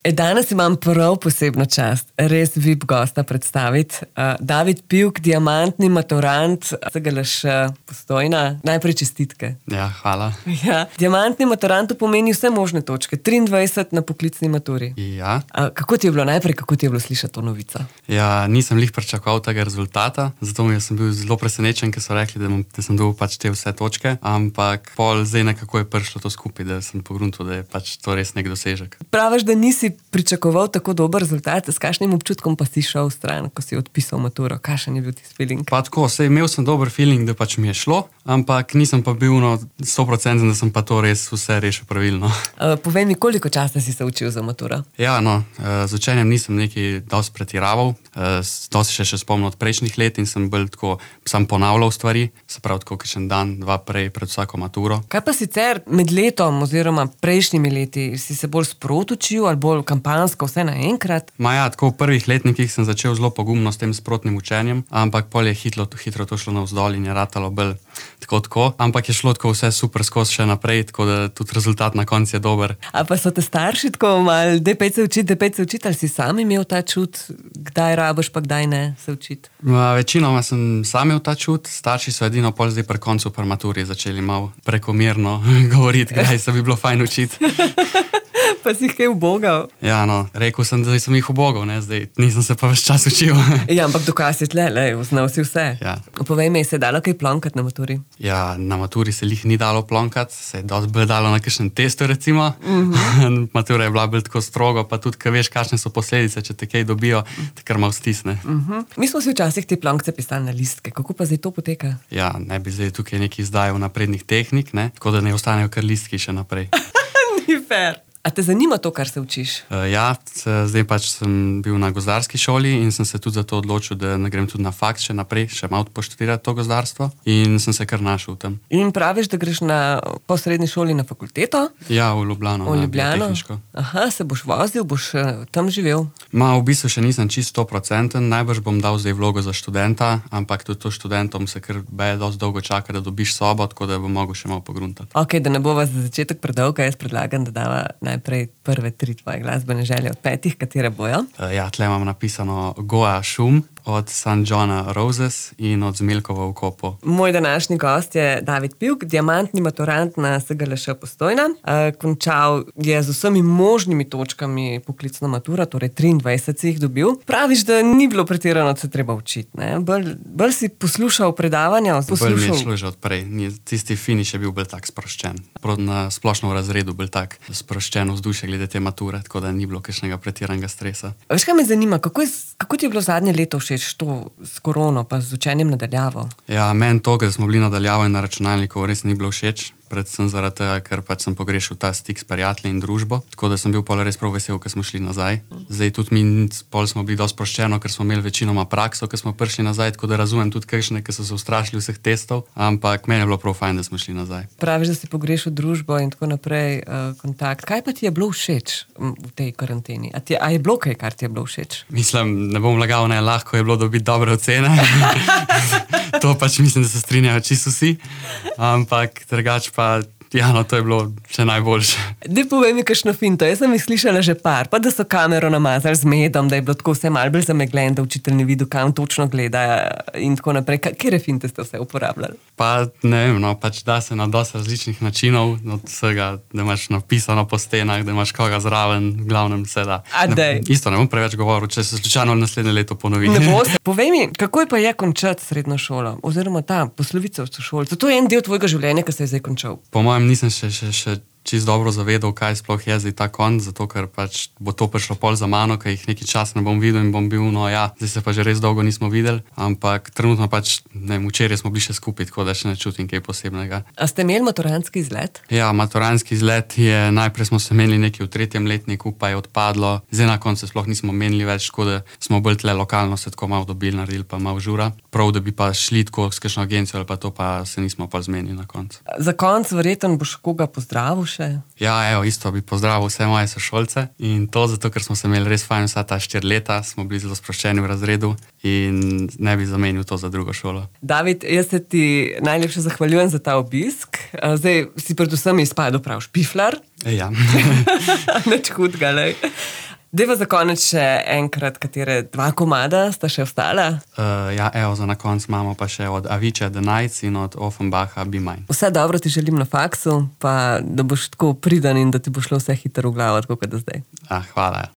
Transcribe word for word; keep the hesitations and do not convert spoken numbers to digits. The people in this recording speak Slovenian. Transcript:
E, danes imam prav posebno čast, res V I P gosta predstaviti. Uh, David Pivk, diamantni maturant S G L Š Postojna. Najprej čestitke. Ja, hvala. Ja. Diamantni maturant pomeni vse možne točke. triindvajset na poklicni maturi. Ja. Uh, kako ti je bilo najprej, kako ti je bilo slišati to novico? Ja, nisem lih pričakoval tega rezultata, zato mi sem bil zelo presenečen, ker so rekli, da, bom, da sem dobil pač te vse točke, ampak pol zdaj nekako je prišlo to skupaj, da sem pogruntil, da je pač to res nek dosežek. Praviš, da nisi pričakoval tako dober rezultat, s kakšnim občutkom pa si šel v stran, ko si odpisal maturo? Kakšen je bil ti feeling? Pa tako, sej imel sem dober feeling, da pač mi je šlo, ampak nisem pa bil no sto procentov, da sem pa to res vse rešil pravilno. Uh, povej mi, koliko časa si se učil za maturo? Ja, no, z učenjem nisem nekaj dosti pretiraval, dosti še še spomnil od prejšnjih let in sem bolj tako, sam ponavljal stvari, se pravi tako kakšen dan, dva prej pred vsako maturo. Kaj pa sicer med letom oziroma prejšnjimi leti, si se bolj sprot učil ali bolj kampansko, vse naenkrat? Ma ja, tako v prvih letnikih sem začel zelo pogumno s tem sprotnim učenjem, ampak pol je hitro, hitro to šlo navzdol in je ratalo bolj tako tako, ampak je šlo tako vse super skozi še naprej, tako da tudi rezultat na koncu je dober. A pa so te starši tako malo, daj pejte se učiti, daj pejte se učiti, ali si sam imel ta čut, kdaj rabiš pa kdaj ne se učiti? Ma, večinoma sem sam imel ta čut, starši so edino pol zdaj pri koncu pri maturi začeli malo prekomerno govoriti, kdaj se bi bilo fajn učiti. Pa si jih kaj ubogal? Ja, no, rekel sem, da sem jih ubogal, ne, zdaj nisem se pa več čas učil. Ja, ampak dokaz je tle, lej, znal si vse. Ja. Povej mi, se je dalo kaj plonkati na maturi? Ja, na maturi se lih ni dalo plonkati, se je dosti bolj dalo na kakšen testu, recimo. Mm-hmm. Matura je bila bolj tako strogo, pa tudi, kaj veš, kakšne so posledice, če te kaj dobijo, te kar malo stisne. Mm-hmm. Mi smo si včasih te plonkce pisali na listke, kako pa zdaj to poteka? Ja, ne bi zdaj tukaj nekaj izdajal naprednih tehnik, ne, tako da ne ostanejo kar listki še naprej. Ni fair. A te zanima to, kar se učiš? Uh, ja, zdaj pač sem bil na gozdarski šoli in sem se tudi za to odločil, da ne grem tudi na faks še naprej, še malo poštudirati to gozdarstvo in sem se kar našel v tem. In praviš, da greš na po srednji šoli na fakulteto? Ja, v Ljubljano. V Ljubljano? Aha, se boš vozil, boš uh, tam živel? Ma, v bistvu še nisem čisto procenten, najbrž bom dal zdaj vlogo za študenta, ampak tudi to študentom se kar beje dosti dolgo čaka, da dobiš sobo, tako da bom mogel še malo pogruntati. Ok, da ne bova za začetek predolga, jaz predlagam, da dava najprej prve tri tvoje glasbene želje od petih, katere bojo? Uh, ja, tle imam napisano Goa Šum od San Johna Roses in od Zmeljkova v Kopu. Moj današnji gost je David Pivk, diamantni maturant na S G L Š Postojna. Uh, končal je z vsemi možnimi točkami poklicno maturo, torej triindvajset si jih dobil. Praviš, da ni bilo pretirano, da se treba učiti, ne? Bolj, bolj si poslušal predavanja? Bolj mi je šlo že odprej. Tisti finiš je bil bolj tak sproščen. Na splošno v razredu bolj tak sproščen vzdušje glede te mature, tako da ni bilo kakšnega pretiranega stresa. Veš, kaj me zanima, kako, je, kako ti je bilo zadnje leto všeč to s korono, pa z učenjem nadaljavo? Ja, meni to, ker smo bili nadaljavo in na računalniku, res ni bilo všeč. Predvsem zaradi tega, ker pač sem pogrešil ta stik s prijatelji in družbo, tako da sem bil pol res prav vesel, ker smo šli nazaj. Zdaj tudi mi pol smo bili dosti sproščeno, ker smo imeli večinoma prakso, ker smo prišli nazaj, tako da razumem tudi kakšne, ki so se ustrašili vseh testov, ampak meni je bilo prav fajn, da smo šli nazaj. Praviš, da si pogrešil družbo in tako naprej, uh, kontakt. Kaj pa ti je bilo všeč v tej karanteni? A, ti, a je bilo kaj, kar ti je bilo všeč? Mislim, ne bom lagal, ne, lahko je bilo dobiti dobre ocene. To pač mislim, da se strinjajo čisto vsi, ampak drugače pa, ja, no, to je bilo še najboljše. Daj povej mi kakšno finto, jaz sem jih slišala že par, pa da so kamero namazali z medom, da je bilo tako vse malo bolj zameglen, da učitelj ne vidi, kam točno gleda in tako naprej. Katere finte ste vse uporabljali? Pa ne vem, no, pač da se na dosti različnih načinov, od vsega, da imaš napisano po stenah, da imaš koga zraven, v glavnem se da. A dej. Isto ne bom preveč govoril, če se slučajno naslednje leto ponovi. Ne bo se. Povej mi, kako je pa je končati srednjo šolo, oziroma ta poslovica v šoli? To je en del tvojega življenja, ki se je zdaj končal. Po mojem nisem še, še, še čisto dobro zavedal, kaj sploh je zdaj ta konc, zato ker pač bo to prišlo pol za mano, ker jih nekaj časa ne bom videl in bom bil, no ja, zdaj se pa že res dolgo nismo videli, ampak trenutno pač, ne vem, včeraj smo bili še skupaj, tako da še ne čutim kaj posebnega. A ste imeli maturantski izlet? Ja, maturantski izlet je, najprej smo se menili nekaj v tretjem letniku, pa je odpadlo, zdaj na koncu sploh nismo menili več, tako da smo bolj tle lokalno se tako malo dobili, naredili pa malo žura, prav da bi pa šli tako s kakšno agencijo ali pa to, pa se nismo pa zmenili na koncu. Za konc verjetno boš koga pozdravil še? Ja, evo, isto bi pozdravil vse moje sošolce in to zato, ker smo se imeli res fajn vsa ta štiri leta, smo bili zelo sproščeni v razredu in ne bi zamenil to za drugo šolo. David, jaz se ti najlepše zahvaljujem za ta obisk. Zdaj si predvsem izpadel prav špiflar. Ja. Nič hudega, lej. Deva za konec še enkrat, katere dva komada sta še ostala. Uh, ja, evo, za na konc imamo pa še od Avicii The Nights in od Offenbacha Be Mine. Vse dobro ti želim na faksu, pa da boš tako priden in da ti bo šlo vse hitro v glavo, tako kot da zdaj. Ah, hvala.